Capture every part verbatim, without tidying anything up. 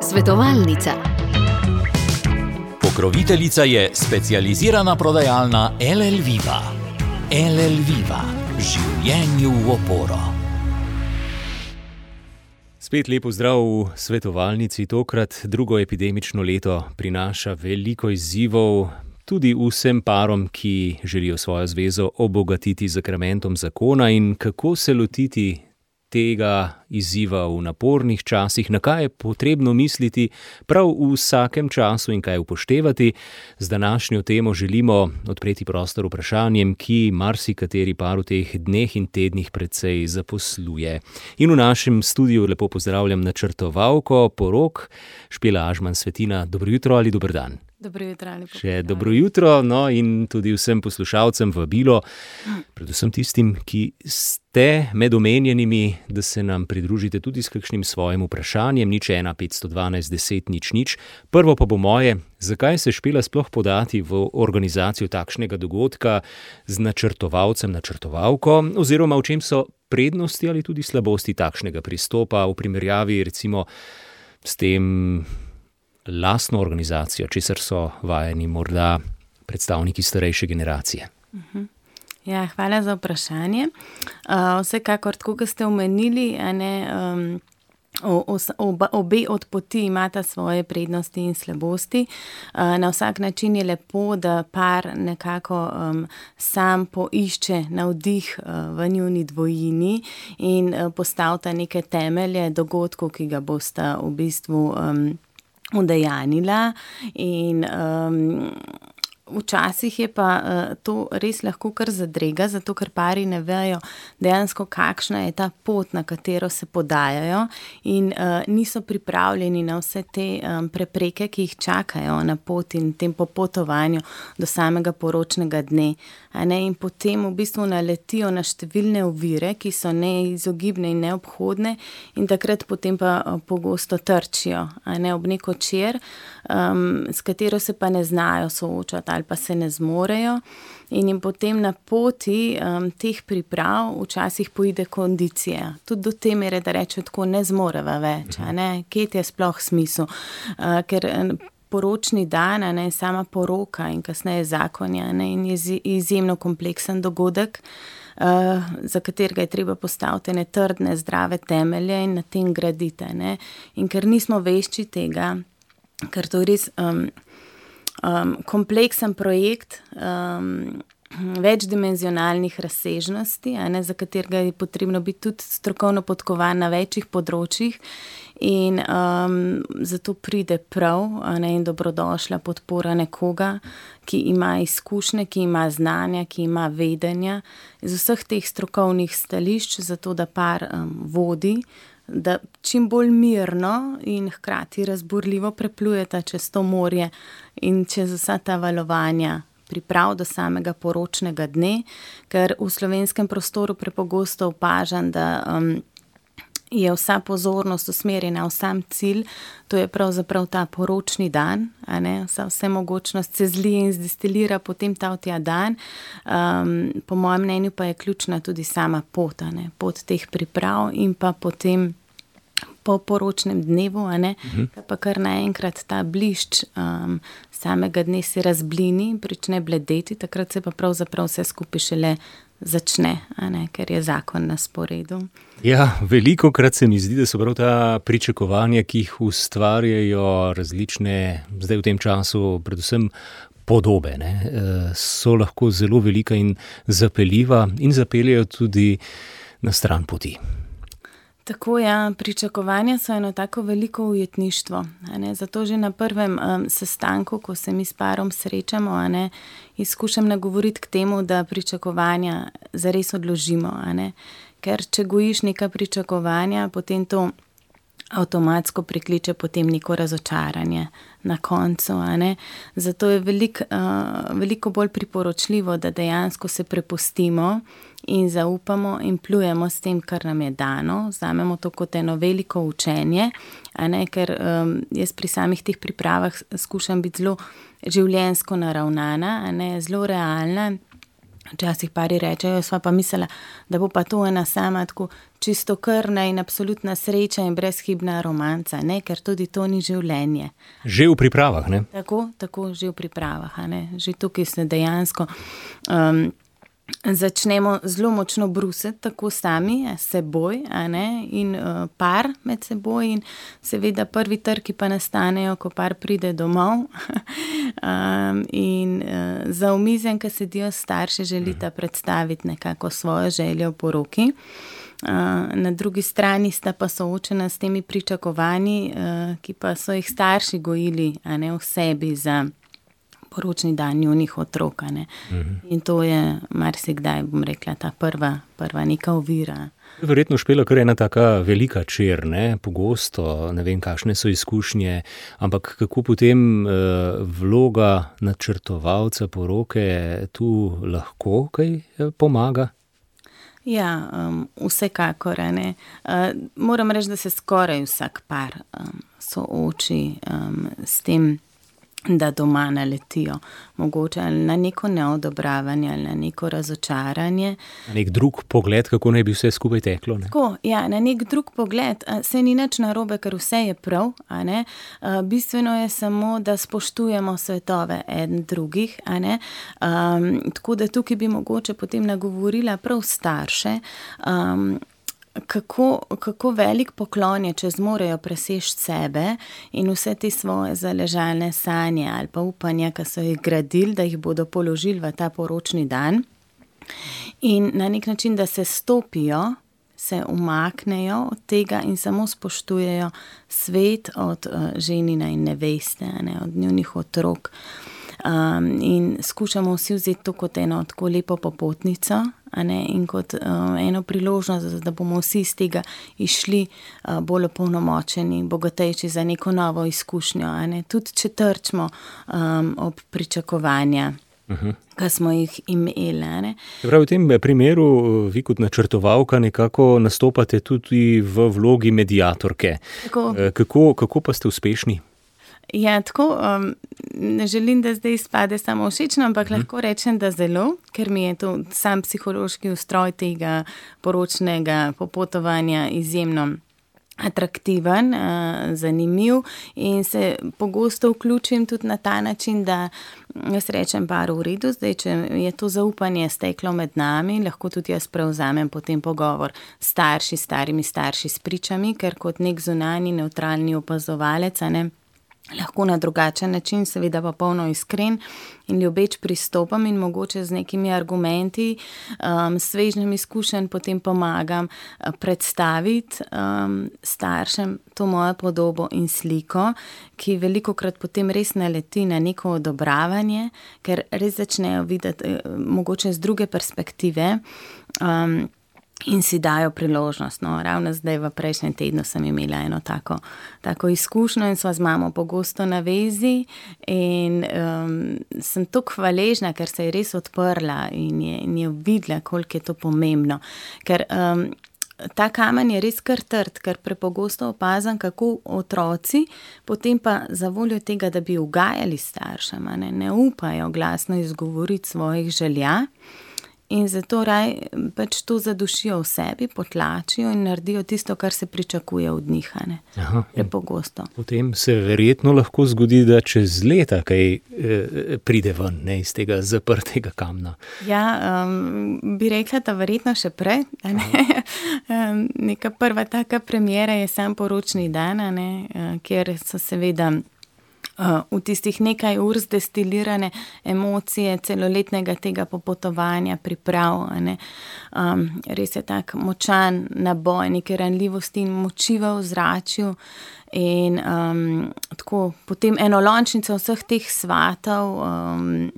Svetovalnica. Pokroviteljica je specializirana prodajalna L L Viva. L L Viva. Življenju v oporo. Spet lepo zdrav v svetovalnici. Tokrat drugo epidemično leto prinaša veliko izzivov tudi vsem parom, ki želijo svojo zvezo obogatiti z sakramentom zakona, in kako se lotiti tega izziva v napornih časih, na kaj je potrebno misliti prav v vsakem času in kaj upoštevati. Z današnjo temo želimo odpreti prostor vprašanjem, ki marsikateri par v teh dneh in tednih precej zaposluje. In v našem studiu lepo pozdravljam načrtovalko porok Špela Ažman Svetina. Dobro jutro ali dober dan? Dobro jutro ali pa Še dobro jutro, no, in tudi vsem poslušalcem vabilo, predvsem tistim, ki ste med omenjenimi, da se nam pridružite tudi s kakšnim svojim vprašanjem, nič ena petsto dvanajst deset nič nič. Prvo pa bo moje, zakaj se Špela sploh podati v organizacijo takšnega dogodka z načrtovalcem, načrtovalko, oziroma v čem so prednosti ali tudi slabosti takšnega pristopa v primerjavi recimo s tem lastno organizacijo, česar so vajeni morda predstavniki starejše generacije. Uh-huh. Ja, hvala za vprašanje. Uh, vsekakor, tako kot ste omenili, a ne, um, o, oba, obe od poti imata svoje prednosti in slabosti. Uh, na vsak način je lepo, da par nekako um, sam poišče navdih uh, v njuni dvojini in uh, postavta neke temelje dogodkov, ki ga bosta v bistvu um, udejanila, in um, včasih je pa uh, to res lahko kar zadrega, zato ker pari ne vejo dejansko, kakšna je ta pot, na katero se podajajo, in uh, niso pripravljeni na vse te um, prepreke, ki jih čakajo na pot in tem popotovanju do samega poročnega dne. A ne, in potem v bistvu naletijo na številne ovire, ki so neizogibne in neobhodne, in takrat potem pa pogosto trčijo, a ne, ob neko čer, um, s katero se pa ne znajo soočati ali pa se ne zmorejo, in jim potem na poti um, teh priprav včasih poide kondicija. Tudi do te mere, da rečejo tako, ne zmoreva več, a ne, kje je sploh smisel, uh, ker poročni dan, ne, sama poroka in kasneje zakonja, ne, in je izjemno kompleksen dogodek, uh, za katerega je treba postaviti ne trdne, zdrave temelje in na tem graditi. Ne. In ker nismo vešči tega, ker to je res um, um, kompleksen projekt, um, večdimenzionalnih razsežnosti, a ne, za katerega je potrebno biti tudi strokovno podkovan na večjih področjih, in um, zato pride prav, a ne, in dobrodošla podpora nekoga, ki ima izkušnje, ki ima znanja, ki ima vedenja iz vseh teh strokovnih stališč, zato da par um, vodi, da čim bolj mirno in hkrati razburljivo preplujeta čez to morje in čez vsa ta valovanja priprav do samega poročnega dne, ker v slovenskem prostoru prepogosto opažam, da um, je vsa pozornost usmerjena v sam cilj, to je pravzaprav ta poročni dan, a ne, vsa vsemogočnost se zlije in zdestilira potem ta tja dan. Um, po mojem mnenju pa je ključna tudi sama pot, a ne, pot teh priprav, in pa potem po poročnem dnevu, a ne, uh-huh. pa kar naenkrat ta blišč um, samega dne se razblini in prične bledeti, takrat se pa pravzaprav vse skupaj šele začne, a ne, ker je zakon na sporedu. Ja, veliko krat se mi zdi, da so prav ta pričakovanja, ki jih ustvarjajo različne, zdaj v tem času predvsem podobe, ne, so lahko zelo velika in zapeljiva in zapeljajo tudi na stran poti. Tako, ja, pričakovanja so eno tako veliko ujetništvo, a ne, zato že na prvem um, sestanku, ko se mi s parom srečamo, a ne, izkušam nagovoriti k temu, da pričakovanja zares odložimo, a ne, ker če gojiš neka pričakovanja, potem to avtomatsko prikliče potem neko razočaranje na koncu, a ne. Zato je velik, uh, veliko bolj priporočljivo, da dejansko se prepustimo in zaupamo in plujemo s tem, kar nam je dano, vzamemo to kot eno veliko učenje, a ne, ker um, jaz pri samih teh pripravah skušam biti zelo življenjsko naravnana, a ne, zelo realna, Včasih pari rečejo, sva pa mislila, da bo pa to ena sama tako čistokrvna in absolutna sreča in brezhibna romanca, ne, ker tudi to ni življenje. Že v pripravah, ne? Tako, tako, že v pripravah, a ne. Že tukaj se dejansko um, začnemo zelo močno brusiti, tako sami, s seboj, a ne, in uh, par med seboj in seveda prvi trki pa nastanejo, ko par pride domov um, in uh, za omizjem, ko sedijo starši, želita predstaviti nekako svojo željo v poroki. Uh, na drugi strani sta pa soočena s temi pričakovanji, uh, ki pa so jih starši gojili, a ne, v sebi za poročni dan njunih otrok, ne. Uh-huh. In to je marsikdaj, bom rekla, ta prva, prva neka ovira. Verjetno Špela kar ena taka velika čer, ne, pogosto, ne vem, kakšne so izkušnje, ampak kako potem uh, vloga načrtovalca poroke tu lahko kaj pomaga? Ja, um, vsekakor, ne. Uh, moram reči, da se skoraj vsak par um, sooči um, s tem, da doma naletijo, mogoče ali na neko neodobravanje ali na neko razočaranje. Na nek drug pogled, kako naj bi vse skupaj teklo, ne? Tako, ja, na nek drug pogled, se ni nič narobe, ker vse je prav, a ne. Bistveno je samo, da spoštujemo svetove eden drugih, a ne. Um, tako da tukaj bi mogoče potem nagovorila prav starše, um, Kako, kako velik poklon je, če zmorejo preseči sebe in vse te svoje zaležalne sanje ali pa upanja, ki so jih gradili, da jih bodo položili v ta poročni dan in na nek način, da se stopijo, se umaknejo od tega in samo spoštujejo svet od uh, ženina in neveste, ne, od njunih otrok. Um, in skušamo vsi vzeti to kot eno tako lepo popotnico, a ne, in kot uh, eno priložnost, da bomo vsi iz tega išli uh, bolj opolnomočeni, bogatejši za neko novo izkušnjo, a ne, tudi če trčimo um, ob pričakovanja, uh-huh. ki smo jih imeli, a ne. Prav v tem primeru vi kot načrtovalka nekako nastopate tudi v vlogi mediatorke. Tako. Kako, kako pa ste uspešni? Ja, tako, um, ne želim, da zdaj izpade samo všečno, ampak hmm. lahko rečem, da zelo, ker mi je to sam psihološki ustroj tega poročnega popotovanja izjemno atraktiven, uh, zanimiv in se pogosto vključim tudi na ta način, da jaz rečem paru v redu, zdaj, če je to zaupanje steklo med nami, lahko tudi jaz prevzamem potem pogovor s starši, starimi starši s pričami, ker kot nek zunanji, nevtralni opazovalec, a ne, lahko na drugačen način, seveda pa polno iskren in ljubeč pristopam in mogoče z nekimi argumenti, um, svežnjem izkušenj potem pomagam uh, predstaviti um, staršem to mojo podobo in sliko, ki velikokrat potem res naleti na neko odobravanje, ker res začnejo videti uh, mogoče z druge perspektive, um, in si dajo priložnost. No, ravno zdaj v prejšnjem tednu sem imela eno tako, tako izkušnjo in sva z mamo pogosto na vezi in um, sem tako hvaležna, ker se je res odprla in je, in je videla, koliko je to pomembno. Ker um, ta kamen je res kar trd, ker prepogosto opazam, kako otroci potem pa za voljo tega, da bi ugajali staršem, ne, ne upajo glasno izgovoriti svojih želja. In zato raj pač to zadušijo v sebi, potlačijo in naredijo tisto, kar se pričakuje od njih, ne, prepogosto. Potem se verjetno lahko zgodi, da čez leta kaj eh, pride ven, ne, iz tega zaprtega kamna. Ja, um, bi rekla, da verjetno še prej, a ne. um, neka prva taka premjera je sam poročni dan, a ne, uh, kjer so seveda Uh, v tistih nekaj ur zdestilirane emocije celoletnega tega popotovanja, priprav, ne. Um, res je tak močan naboj neke ranljivosti in moči v ozračju in um, tako potem enolončnica vseh teh svatov um,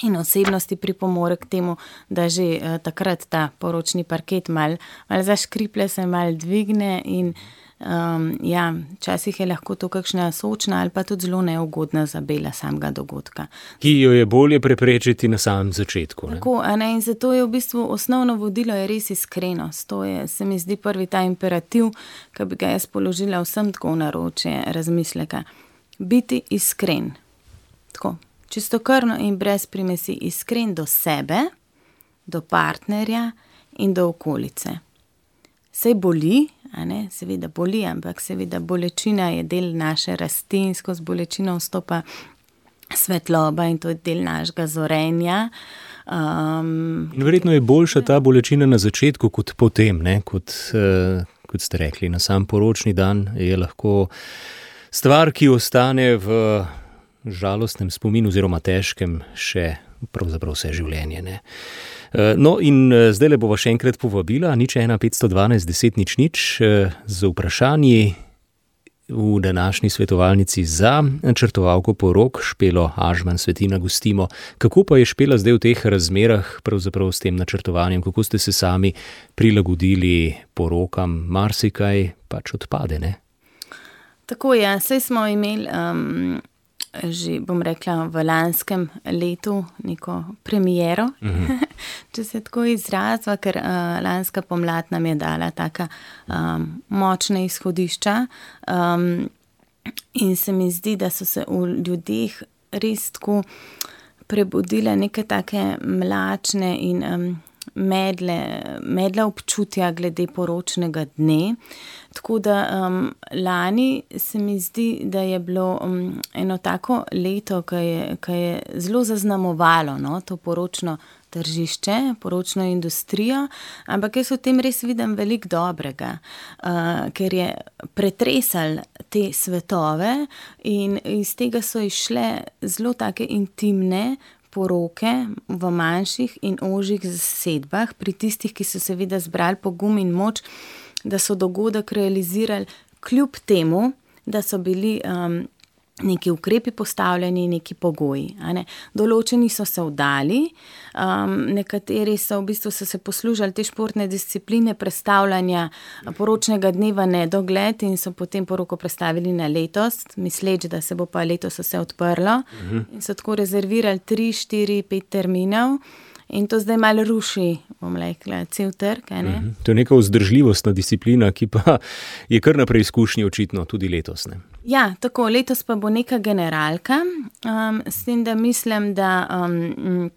in osebnosti pripomore k temu, da že uh, takrat ta poročni parket mal, mal zaškriple, se mal dvigne in Um, ja, včasih je lahko to kakšna sočna ali pa tudi zelo neugodna zabela samega dogodka. Ki jo je bolje preprečiti na samem začetku. Ne? Tako, a ne, in zato je v bistvu osnovno vodilo je res iskrenost. To je, se mi zdi, prvi ta imperativ, ki bi ga jaz položila vsem tako v naročje razmisleka. Biti iskren. Tako, čistokrvno in brez primesi iskren do sebe, do partnerja in do okolice. Sej boli, a ne, seveda boli, ampak seveda bolečina je del naše rasti in skozi bolečino vstopa svetloba in to je del našega zorenja. Um, Verjetno je boljša ta bolečina na začetku kot potem, ne, kot, uh, kot ste rekli, na sam poročni dan je lahko stvar, ki ostane v žalostnem spominu oziroma težkem še pravzaprav vse življenje, ne. No in zdaj le bova še enkrat povabila, nič ena petsto dvanajst deset nič nič, z vprašanji v današnji svetovalnici za načrtovalko porok Špelo Ažman Svetina gostimo. Kako pa je Špela zdaj v teh razmerah pravzaprav s tem načrtovanjem, kako ste se sami prilagodili porokam, marsikaj pač odpade, ne? Tako je, saj smo imeli um, že, bom rekla, v lanskem letu neko premiero, uh-huh. če se tako izrazva, ker uh, lanska pomlad nam je dala taka um, močna izhodišča um, in se mi zdi, da so se v ljudeh res tako prebudile neke take mlačne in um, medle, medle občutja glede poročnega dne. Tako da um, lani se mi zdi, da je bilo um, eno tako leto, ki je, ki je zelo zaznamovalo, no, to poročno tržišče, poročno industrijo, ampak jaz v tem res vidim veliko dobrega, uh, ker je pretresal te svetove in iz tega so išle zelo take intimne poroke v manjših in ožjih zasedbah, pri tistih, ki so seveda zbrali pogum in moč, da so dogodek realizirali kljub temu, da so bili um, neki ukrepi postavljeni, neki pogoji. A ne. Določeni so se vdali, um, nekateri so v bistvu so se poslužali te športne discipline prestavljanja poročnega dneva nedogled in so potem poroko prestavili na letos, misleč, da se bo pa letos vse odprlo uh-huh. in so tako rezervirali tri, štiri, pet terminov. In to zdaj malo ruši, bom rekla, cel trg. Ne? Mm-hmm. To je neka vzdržljivostna disciplina, ki pa je kar na preizkušnji očitno tudi letos. Ne? Ja, tako, letos pa bo neka generalka, um, s tem, da mislim, da, um,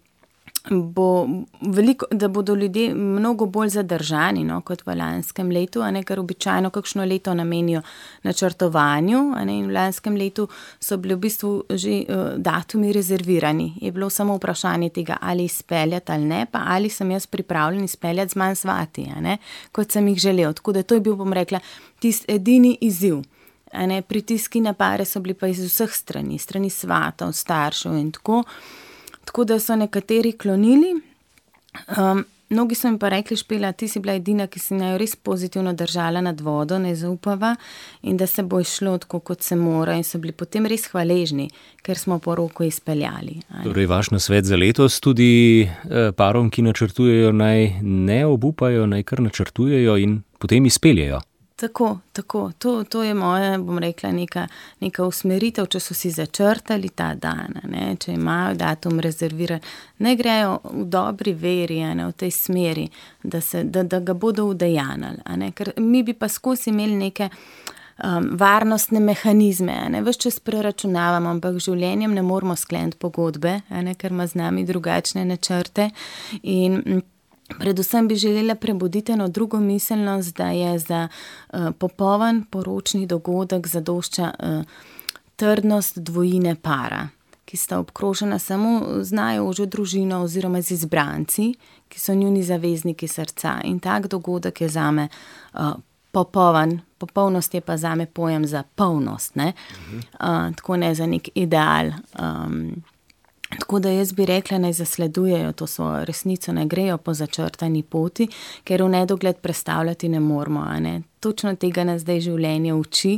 bo veliko, da bodo ljudje mnogo bolj zadržani, no, kot v lanskem letu, a ne, ker običajno kakšno leto namenijo načrtovanju, a ne, in v lanskem letu so bili v bistvu že uh, datumi rezervirani. Je bilo samo vprašanje tega, ali izpeljati ali ne, pa ali sem jaz pripravljen izpeljati z manj svati, a ne, kot sem jih želel. Tako da to je bil, bom rekla, tisti edini izziv. A ne, pritiski na pare so bili pa iz vseh strani, strani svatov, staršev in tako. Tako da so nekateri klonili. Um, mnogi so mi pa rekli, Špela, ti si bila edina, ki si naj res pozitivno držala nad vodo, ne zaupava in da se bo išlo tako, kot se mora in so bili potem res hvaležni, ker smo poroko izpeljali. Torej, vaš nasvet za letos tudi eh, parom, ki načrtujejo, naj ne obupajo, naj kar načrtujejo in potem izpeljejo. Tako, tako. To, to je moja, bom rekla, neka, neka usmeritev, če so si začrtali ta dan, ne, če imajo datum rezerviran, ne grejo v dobri veri, ne, v tej smeri, da, se, da, da ga bodo udejanili. Ne, ker mi bi pa skozi imeli neke um, varnostne mehanizme, ne, ves čas preračunavamo, ampak življenjem ne moramo skleniti pogodbe, ne, ker ima z nami drugačne načrte in predvsem bi želela prebuditi eno drugo miselnost, da je za uh, popoln poročni dogodek zadošča uh, trdnost dvojine para, ki sta obkrožena samo z najožjo družino oziroma z izbranci, ki so njuni zavezniki srca. In tak dogodek je zame uh, popoln, popolnost je pa zame pojem za polnost, ne? Uh, tako ne za nek ideal. Um, Tako da jaz bi rekla, naj zasledujejo to svojo resnico, ne grejo po začrtani poti, ker v nedogled predstavljati ne moramo. Ne? Točno tega nas zdaj življenje uči,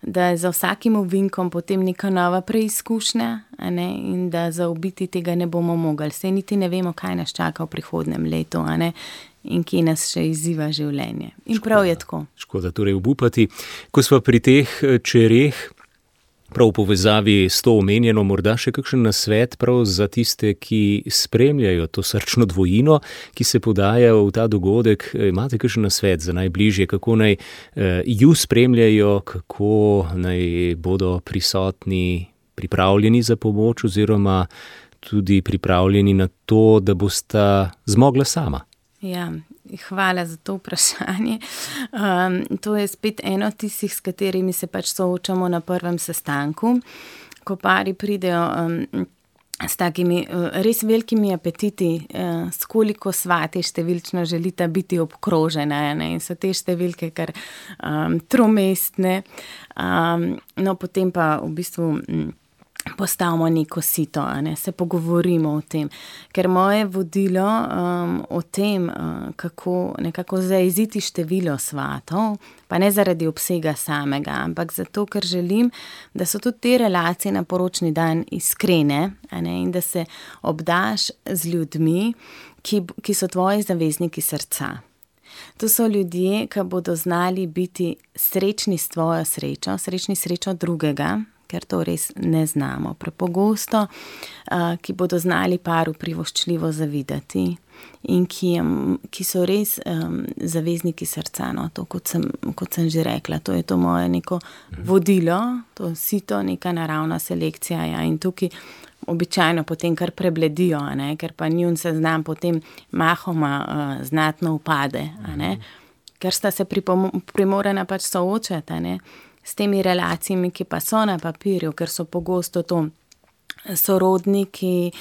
da je za vsakim ovinkom potem neka nova preizkušnja, a ne? In da zaobiti tega ne bomo mogli. Saj niti ne vemo, kaj nas čaka v prihodnem letu, a ne? In kje nas še izziva življenje. In škoda, prav je tako. Škoda torej obupati. Ko smo pri teh čereh, prav v povezavi s to omenjeno, morda še kakšen nasvet prav za tiste, ki spremljajo to srčno dvojino, ki se podaja v ta dogodek. Imate kakšen nasvet za najbližje, kako naj eh, ju spremljajo, kako naj bodo prisotni, pripravljeni za pomoč oziroma tudi pripravljeni na to, da bosta zmogla sama? Ja, hvala za to vprašanje. Um, to je spet eno tistih, s katerimi se pač soočamo na prvem sestanku, ko pari pridejo um, s takimi uh, res velikimi apetiti, uh, s koliko svati številčno želita biti obkrožena, ne? In so te številke kar um, tromestne, um, no potem pa v bistvu um, postavimo neko sito, ne? Se pogovorimo o tem, ker moje vodilo um, o tem, uh, kako nekako zaiziti število svatov, pa ne zaradi obsega samega, ampak zato, ker želim, da so tudi te relacije na poročni dan iskrene, ne? In da se obdaš z ljudmi, ki, ki so tvoji zavezniki srca. To so ljudje, ki bodo znali biti srečni s tvojo srečo, srečni srečo drugega, ker to res ne znamo prepogosto, ki bodo znali paru privoščljivo zavidati in ki, ki so res um, zavezniki srca, no, to kot sem, kot sem že rekla, to je to moje neko vodilo, to sito, neka naravna selekcija, ja, in tukaj običajno potem kar prebledijo, a ne, ker pa njun seznam potem mahoma uh, znatno upade, a ne, ker sta se primorana pač soočati, a ne, s temi relacijami, ki pa so na papirju, ker so pogosto to sorodniki,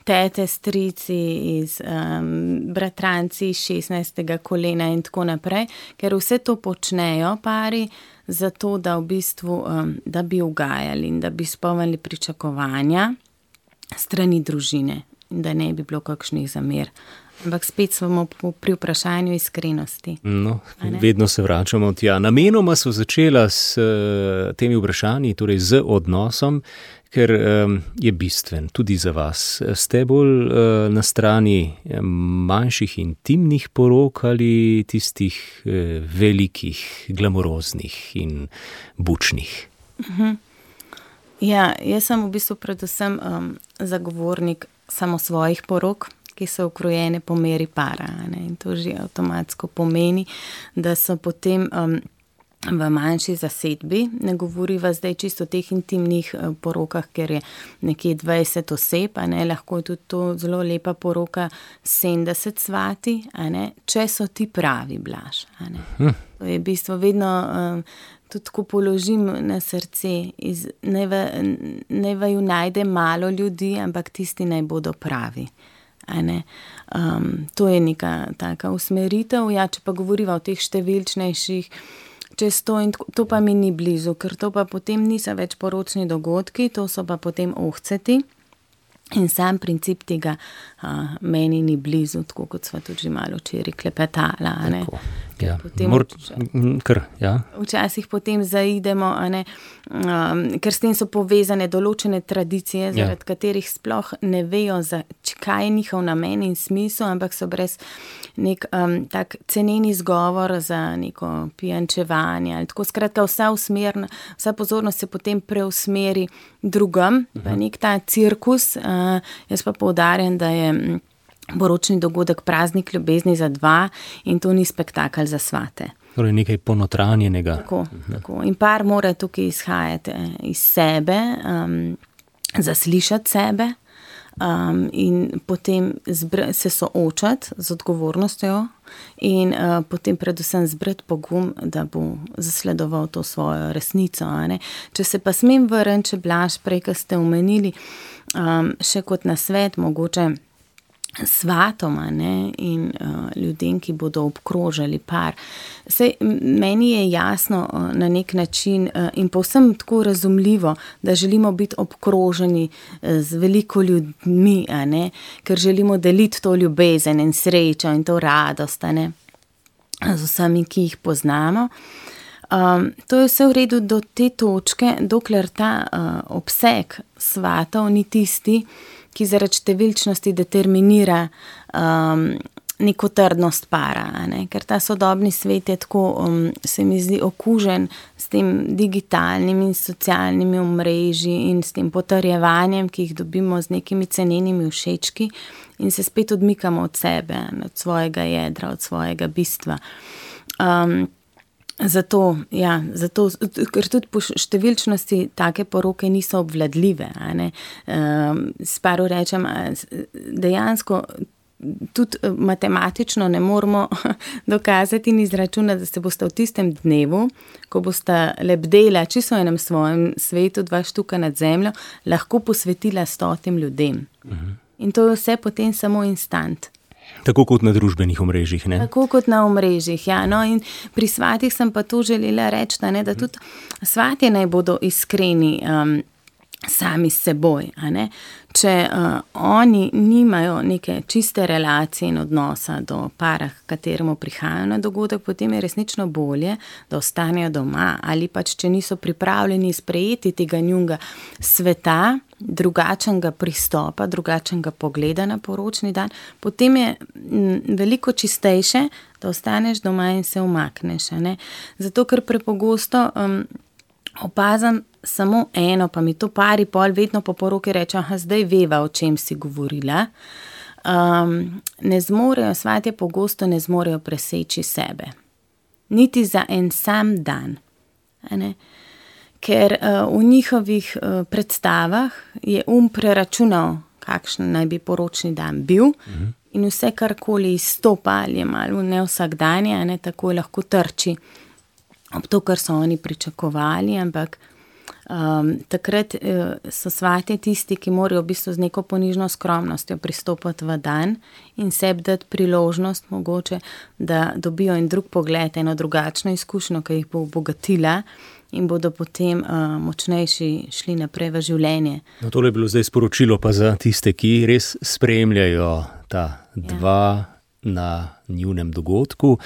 tete, strici, iz, um, bratranci iz šestnajstega kolena in tako naprej, ker vse to počnejo pari zato, da v bistvu, um, da bi ugajali in da bi izpolnili pričakovanja strani družine in da ne bi bilo kakšnih zamer. Ampak spet smo pri vprašanju iskrenosti. No, vedno se vračamo tja. Namenoma so začela s uh, temi vprašanji, torej z odnosom, ker um, je bistven tudi za vas. Ste bolj uh, na strani manjših intimnih porok ali tistih uh, velikih, glamuroznih in bučnih? Uh-huh. Ja, jaz sem v bistvu predvsem um, zagovornik samo svojih porok, ki so ukrojene po meri para, ne? In to že avtomatsko pomeni, da so potem um, v manjši zasedbi, ne govoriva zdaj čisto o teh intimnih uh, porokah, ker je nekje dvajset oseb, a ne, lahko je tudi to zelo lepa poroka sedemdeset svati, a ne, če so ti pravi, Blaž, a ne. Hm. To je v bistvu vedno um, tudi ko položim na srce, iz, ne, v, ne vaju najde malo ljudi, ampak tisti naj bodo pravi. Um, to je neka taka usmeritev, ja, če pa govoriva o teh številčnejših, čez to in to pa mi ni blizu, ker to pa potem niso več poročni dogodki, to so pa potem ohceti in sam princip tega uh, meni ni blizu, tako kot sva tudi že malo včeraj klepetala, a ne. Ja. Mor, kar, ja. Včasih potem zaidemo, a ne, um, ker s tem so povezane določene tradicije, zaradi ja. katerih sploh ne vejo, za, kaj je njihov namen in smisel, ampak so brez nek um, tak ceneni izgovor za neko pijančevanje ali tako. Skratka, vsa usmerna, vsa pozornost se potem preusmeri drugam, uh-huh. pa nek ta cirkus, uh, jaz pa poudarjam, da je poročni dogodek praznik ljubezni za dva in to ni spektakel za svate. Torej nekaj ponotranjenega. Tako, uh-huh. tako. In par mora tukaj izhajati iz sebe, um, zaslišati sebe um, in potem zbr- se soočati z odgovornostjo in uh, potem predvsem zbrati pogum, da bo zasledoval to svojo resnico. A ne? Če se pa smem vrniti, če Blaž prej, ko ste omenili, um, še kot nasvet, mogoče svatoma, ne, in uh, ljudem, ki bodo obkrožali par. Sej, meni je jasno uh, na nek način uh, in povsem tako razumljivo, da želimo biti obkroženi uh, z veliko ljudmi, a ne, ker želimo deliti to ljubezen in srečo in to radost, a ne, z vsemi, ki jih poznamo. Um, to je vse v redu do te točke, dokler ta uh, obseg svatov ni tisti, ki zaradi številčnosti determinira um, neko trdnost para, ne? Ker ta sodobni svet je tako, um, se mi zdi, okužen s tem digitalnimi in socialnimi omrežji in s tem potrjevanjem, ki jih dobimo z nekimi cenenimi všečki in se spet odmikamo od sebe, od svojega jedra, od svojega bistva. Um, Zato, ja, zato, ker tudi po številčnosti take poroke niso obvladljive. A ne? Um, Sparu rečem, dejansko tudi matematično ne moramo dokazati in izračunati, da se boste v tistem dnevu, ko boste lebdela čisto v enem svojem svetu, dva štuka nad zemljo, lahko posvetila stotim ljudem. Uh-huh. In to je vse potem samo instant. Tako kot na družbenih omrežjih, ne? Tako kot na omrežjih, ja. No, in pri svatih sem pa to želela reči, da, ne, da tudi svatje naj bodo iskreni um, sami s seboj, a ne. Če uh, oni nimajo neke čiste relacije in odnosa do para, kateremu prihajajo na dogodek, potem je resnično bolje, da ostanejo doma, ali pač, če niso pripravljeni sprejeti tega njunga sveta, drugačnega pristopa, drugačnega pogleda na poročni dan, potem je m, veliko čistejše, da ostaneš doma in se umakneš, a ne. Zato, ker prepogosto um, opazam samo eno, pa mi to pari pol vedno po poroki reče, aha, zdaj veva, o čem si govorila. Um, ne zmorejo, svatje pogosto ne zmorejo preseči sebe. Niti za en sam dan. A ne? Ker uh, v njihovih uh, predstavah je um preračunal, kakšen naj bi poročni dan bil, mhm. in vse karkoli izstopa ali je malo ne vsakdanje, a ne, tako lahko trči ob to, kar so oni pričakovali, ampak um, takrat uh, so svatje tisti, ki morajo v bistvu z neko ponižno skromnostjo pristopati v dan in sebi dati priložnost mogoče, da dobijo en drug pogled, eno drugačno izkušnjo, ki jih bo obogatila in bodo potem uh, močnejši šli naprej v življenje. No, tole je bilo zdaj sporočilo pa za tiste, ki res spremljajo ta dva ja. na njunem dogodku.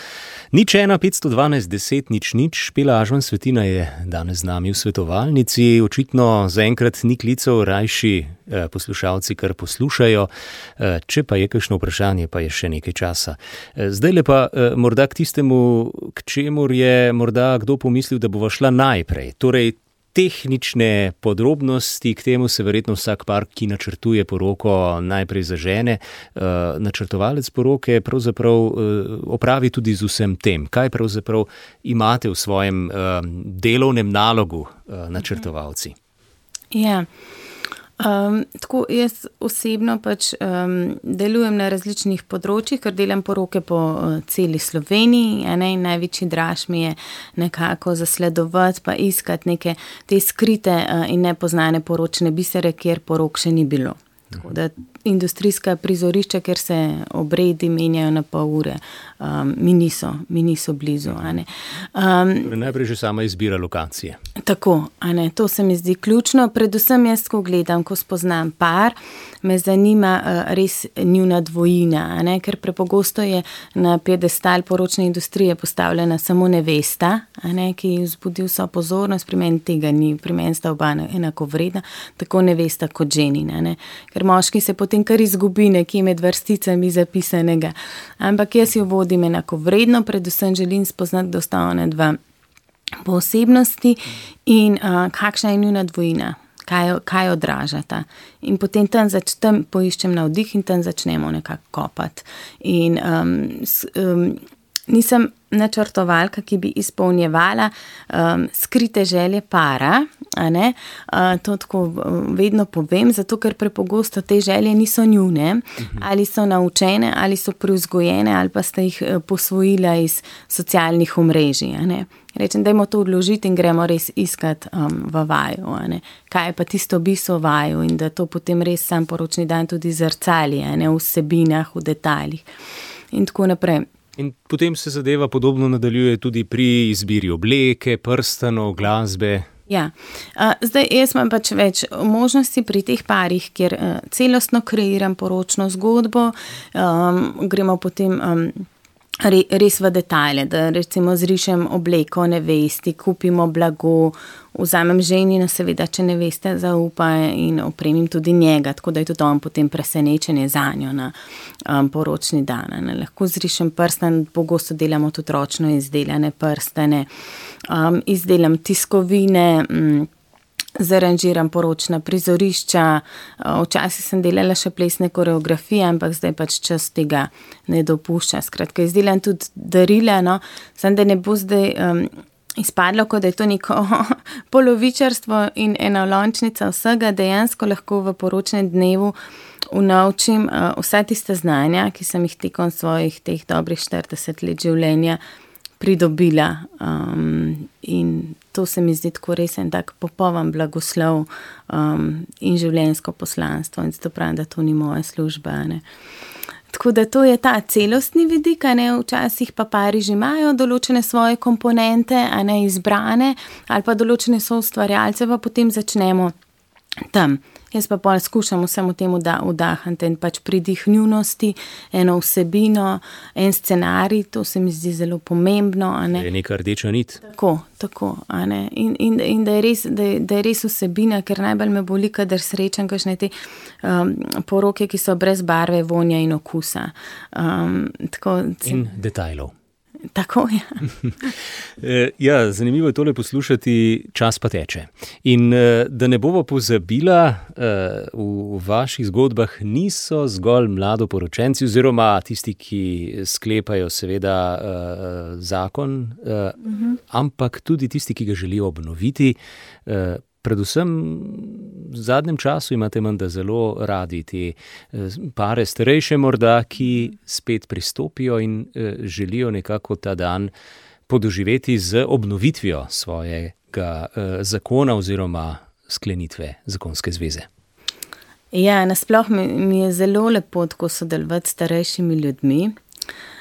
Nič ena, petsto dvanajst, deset, nič, nič. Špela Ažman Svetina je danes z nami v svetovalnici. Očitno zaenkrat ni klicev, rajši eh, poslušalci kar poslušajo. Eh, če pa je kakšno vprašanje, pa je še nekaj časa. Eh, zdaj le pa eh, morda k tistemu, k čemur je morda kdo pomislil, da bova šla najprej. Torej, tehnične podrobnosti, k temu se verjetno vsak par, ki načrtuje poroko, najprej zažene. Uh, načrtovalec poroke pravzaprav uh, opravi tudi z vsem tem. Kaj pravzaprav imate v svojem uh, delovnem nalogu uh, načrtovalci? Ja, um, tako jaz osebno pač um, delujem na različnih področjih, ker delam poroke po uh, celi Sloveniji, a ne, in največji draž mi je nekako zasledovati pa iskati neke te skrite uh, in nepoznane poročne bisere, kjer porok še ni bilo. Tako da industrijska prizorišča, kjer se obredi menjajo na pol ure, um, mi niso, mi niso blizu. A ne. Um, Najprej že sama izbira lokacije. Tako, a ne, to se mi zdi ključno. Predvsem jaz, ko gledam, ko spoznam par, me zanima uh, res njuna dvojina, a ne, ker prepogosto je na piedestal poročne industrije postavljena samo nevesta, a ne, ki vzbudi vso pozornost, pri meni tega ni, pri meni sta oba enako vredna, tako nevesta kot ženina, ne, ker moški se potem kar izgubi nekje med vrsticami zapisanega. Ampak jaz jo vodim enako vredno, predvsem želim spoznati, da sta ona dva po osebnosti in uh, kakšna je njuna dvojina, kaj, kaj odražata. In potem tam, zač, tam poiščem navdih in tam začnemo nekako kopati. In um, s, um, nisem načrtovalka, ki bi izpolnjevala um, skrite želje para, a ne, uh, to tako vedno povem, zato ker prepogosto te želje niso njune, uh-huh. ali so naučene, ali so privzgojene, ali pa ste jih posvojila iz socialnih omrežij, a ne. Rečem, dajmo to odložiti in gremo res iskati um, v vaju, a ne. Kaj je pa tisto bistvo vaju in da to potem res sam poročni dan tudi zrcali, a ne, v vsebinah, v detaljih in tako naprej. In potem se zadeva podobno nadaljuje tudi pri izbiri obleke, prstanov, glasbe. Ja, uh, zdaj jaz imam pač več možnosti pri teh parih, kjer uh, celostno kreiram poročno zgodbo, um, gremo potem um, re, res v detajle, da recimo zrišem obleko nevesti, kupimo blago, vzamem ženina, seveda, če neveste zaupa in opremim tudi njega, tako da je tudi on potem presenečenje zanjo na um, poročni dan. Ne. Lahko zrišem prstan, pogosto delamo tudi ročno izdelane prstane, um, izdelam tiskovine, um, zaranžiram poročna prizorišča, včasih sem delala še plesne koreografije, ampak zdaj pač čas tega ne dopušča. Skratka, izdelam tudi darila, no, sem da ne bo zdaj um, izpadlo, kot da je to neko polovičarstvo in enolončnica vsega, dejansko lahko v poročnem dnevu unovčim uh, vsa tista znanja, ki sem jih tekom svojih teh dobrih štirideset let življenja pridobila um, in to se mi zdi tako res en tak popoln blagoslov um, in življenjsko poslanstvo in zato pravim, da to ni moja služba, ne. Tako da to je ta celostni vidik, a ne, včasih pa pari že imajo določene svoje komponente, a ne, izbrane, ali pa določene so ustvarjalce, pa potem začnemo tam. Jaz pa pol skušam vsemu temu da vdahati in pač pridih njunosti, eno vsebino, en scenarij, to se mi zdi zelo pomembno, a ne. Je neka rdeča nit. Tako, tako, a ne. In, in, in da, je res, da, je, da je res vsebina, ker najbolj me boli, kadar srečam kakšne te um, poroke, ki so brez barve, vonja in okusa. Um, tako, in detajlov. Tako je. Ja, zanimivo je tole poslušati, čas pa teče. In da ne bomo pozabila, v vaših zgodbah niso zgolj mladoporočenci oziroma tisti, ki sklepajo seveda zakon, uh-huh. ampak tudi tisti, ki ga želijo obnoviti. Predvsem v zadnjem času imate menda zelo radi te pare starejše morda, ki spet pristopijo in želijo nekako ta dan podoživeti z obnovitvijo svojega zakona oziroma sklenitve zakonske zveze. Ja, nasploh mi, mi je zelo lepo tako sodelovati s starejšimi ljudmi.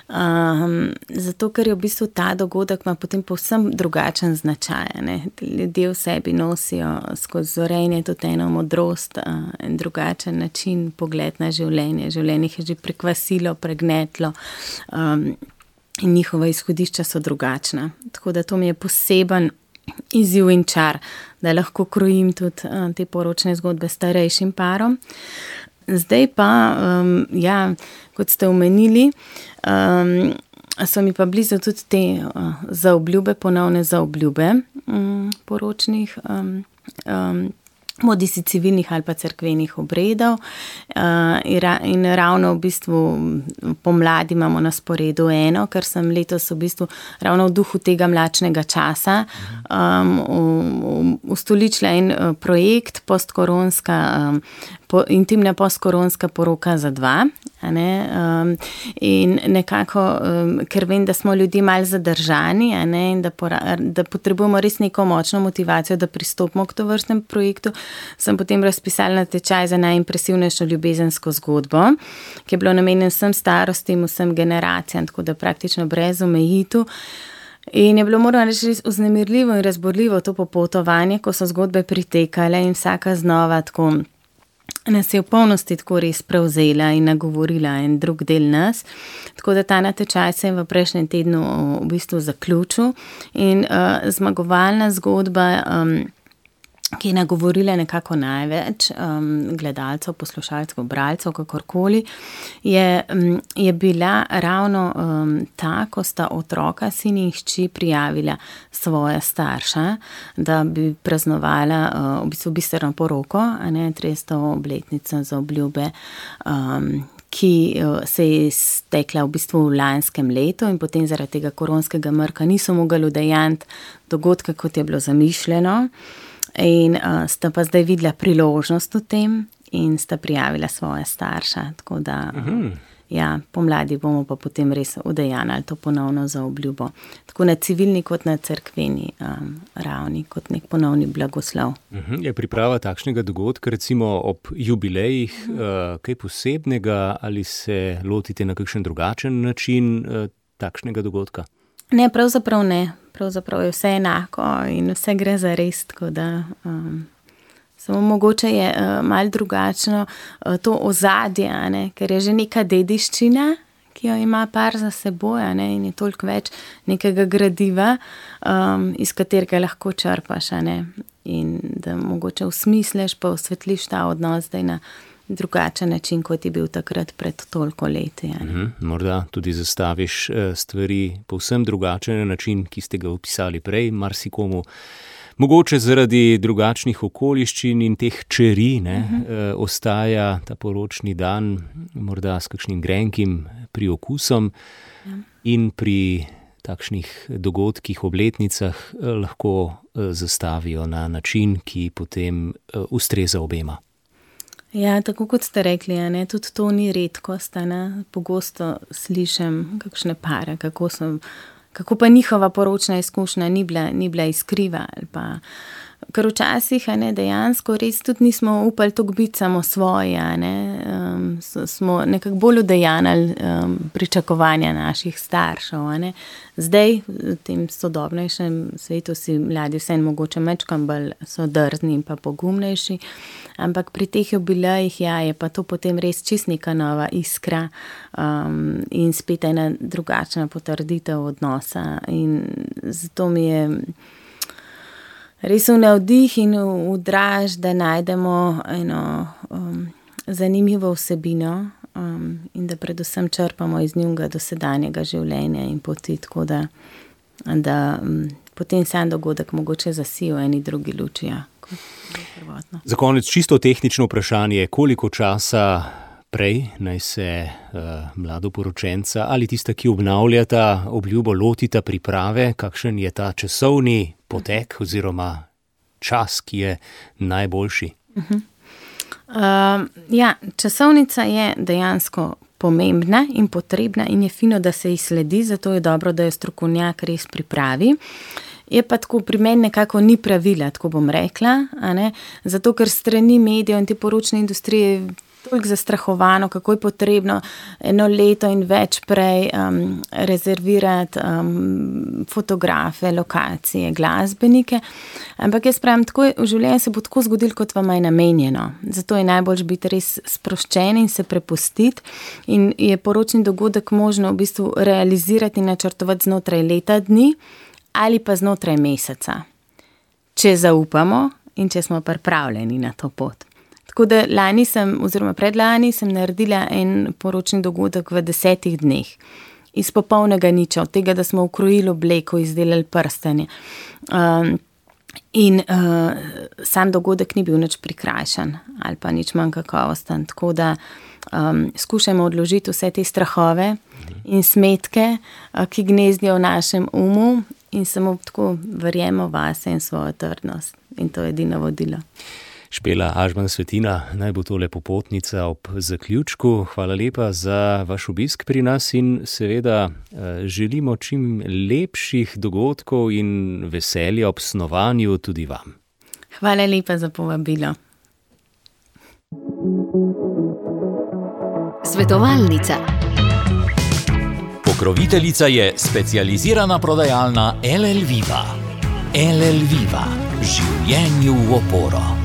Um, zato, ker je v bistvu ta dogodek ima potem povsem drugačen značaj, ne. Ljudje v sebi nosijo skozi zorenje tudi eno modrost, uh, en drugačen način, pogled na življenje. Življenje je že prekvasilo, pregnetlo um, in njihova izhodišča so drugačna. Tako da to mi je poseben izziv in čar, da lahko krojim tudi uh, te poročne zgodbe starejšim parom. Zdaj pa, um, ja, kot ste omenili, um, so mi pa blizu tudi te uh, zaobljube, ponovne zaobljube um, poročnih, um, um, bodisi civilnih ali pa cerkvenih obredov. Uh, in ravno v bistvu pomladi imamo na sporedu eno, ker sem letos v bistvu ravno v duhu tega mlačnega časa um, ustoličila en projekt postkoronska, um, po, intimna postkoronska poroka za dva. Ne, um, in nekako, um, ker vem, da smo ljudje malo zadržani, a ne, in da, pora, da potrebujemo res neko močno motivacijo, da pristopimo k tovrstnem projektu, sem potem razpisala natečaj za najimpresivnejšo ljubezensko zgodbo, ki je bilo namenjen vsem starostim, vsem generacijam, tako da praktično brez omejitev. In je bilo, moram reči, res vznemirljivo in razborljivo to popotovanje, ko so zgodbe pritekale in vsaka znova tako nas je v polnosti tako res prevzela in nagovorila en drug del nas. Tako da ta natečaj se je v prejšnjem tednu v bistvu zaključil in uh, zmagovalna zgodba, um, ki je nagovorila nekako največ um, gledalcev, poslušalcev, bralcev, kakorkoli, je, um, je bila ravno um, ta, ko sta otroka, sin in hči prijavila svoja starša, da bi praznovala uh, v bistvu biserno poroko, a ne trideseto obletnico zaobljube, um, ki se je stekla v bistvu v lanskem letu in potem zaradi tega koronskega mrka niso mogli udejanjiti dogodka, kot je bilo zamišljeno. In uh, sta pa zdaj videla priložnost v tem in sta prijavila svoje starša, tako da uh, ja, pomladi bomo pa potem res udejanjali to ponovno zaobljubo. Tako na civilni kot na cerkveni um, ravni, kot nek ponovni blagoslov. Uh-huh. Je priprava takšnega dogodka, recimo ob jubilejih, uh-huh. uh, kaj posebnega ali se lotite na kakšen drugačen način uh, takšnega dogodka? Ne, pravzaprav ne. Pravzaprav je vse enako in vse gre za res, tako da um, samo mogoče je uh, malo drugačno uh, to ozadje, a ne, ker je že neka dediščina, ki jo ima par za seboj, a ne, in je toliko več nekega gradiva, um, iz katerega lahko črpaš, a ne, in da mogoče usmisliš pa osvetliš ta odnos zdaj na drugačen način, kot je bil takrat pred toliko leti. Mm-hmm. Morda tudi zastaviš stvari povsem drugačen način, ki ste ga opisali prej, marsikomu Mogoče zaradi drugačnih okoliščin in teh čeri ne, uh-huh. eh, ostaja ta poročni dan morda s kakšnim grenkim priokusom ja. In pri takšnih dogodkih, obletnicah eh, lahko eh, zastavijo na način, ki potem eh, ustreza obema. Ja, tako kot ste rekli, ne, tudi to ni redkost. Ne. Pogosto slišim kakšne pare, kako, sem, kako pa njihova poročna izkušnja ni bila, ni bila iskriva. Ali pa, ker včasih ne, dejansko res tudi nismo upali toliko biti samo svoji. Ne. Um, so, smo nekako bolj udejanili um, pričakovanja naših staršev. Ne. Zdaj, v tem sodobnejšem svetu si mladi vse mogoče mečkam bolj so drzni in pa pogumnejši. Ampak pri teh jubilejih ja, je pa to potem res čist neka nova iskra um, in spet ena drugačna potrditev odnosa. In zato mi je res v navdih in v draž, da najdemo eno um, zanimivo vsebino um, in da predvsem črpamo iz njunega dosedanjega življenja in poti, tako da, da um, potem sam dogodek mogoče zasijo eni drugi luči, ja, kot prvotno. Za konec čisto tehnično vprašanje, koliko časa prej naj se uh, mladoporočenca ali tista, ki obnavljata obljubo, lotita priprave, kakšen je ta časovni potek oziroma čas, ki je najboljši? Uh-huh. Uh, ja, časovnica je dejansko pomembna in potrebna in je fino, da se ji sledi, zato je dobro, da jo strokovnjak res pripravi. Je pa tako, pri meni nekako ni pravila, tako bom rekla, a ne? Zato ker strani medijev in te poročne industrije toliko zastrahovano, kako je potrebno eno leto in več prej um, rezervirati um, fotografe, lokacije, glasbenike. Ampak jaz pravim, tako je, v življenju se bo tako zgodilo, kot vam je namenjeno. Zato je najbolj biti res sproščen in se prepustiti. In je poročni dogodek možno v bistvu realizirati in načrtovati znotraj leta dni ali pa znotraj meseca. Če zaupamo in če smo pripravljeni na to pot. Tako da lani sem, oziroma predlani sem naredila en poročni dogodek v desetih dneh. Iz popolnega niča, od tega, da smo ukrojili obleko, izdelali prstanje. Um, in uh, sam dogodek ni bil nič prikrajšan ali pa nič manj kakovosten. Tako da um, skušamo odložiti vse te strahove in smetke, uh, ki gnezdijo v našem umu in samo tako verjemo vase in svojo trdnost. In to je edino vodilo. Špela Ažman Svetina, naj bo tole popotnica ob zaključku. Hvala lepa za vaš obisk pri nas in seveda želimo čim lepših dogodkov in veselja ob snovanju tudi vam. Hvala lepa za povabilo. Svetovalnica. Pokroviteljica je specializirana prodajalna L L Viva. L L Viva. Življenju v oporo.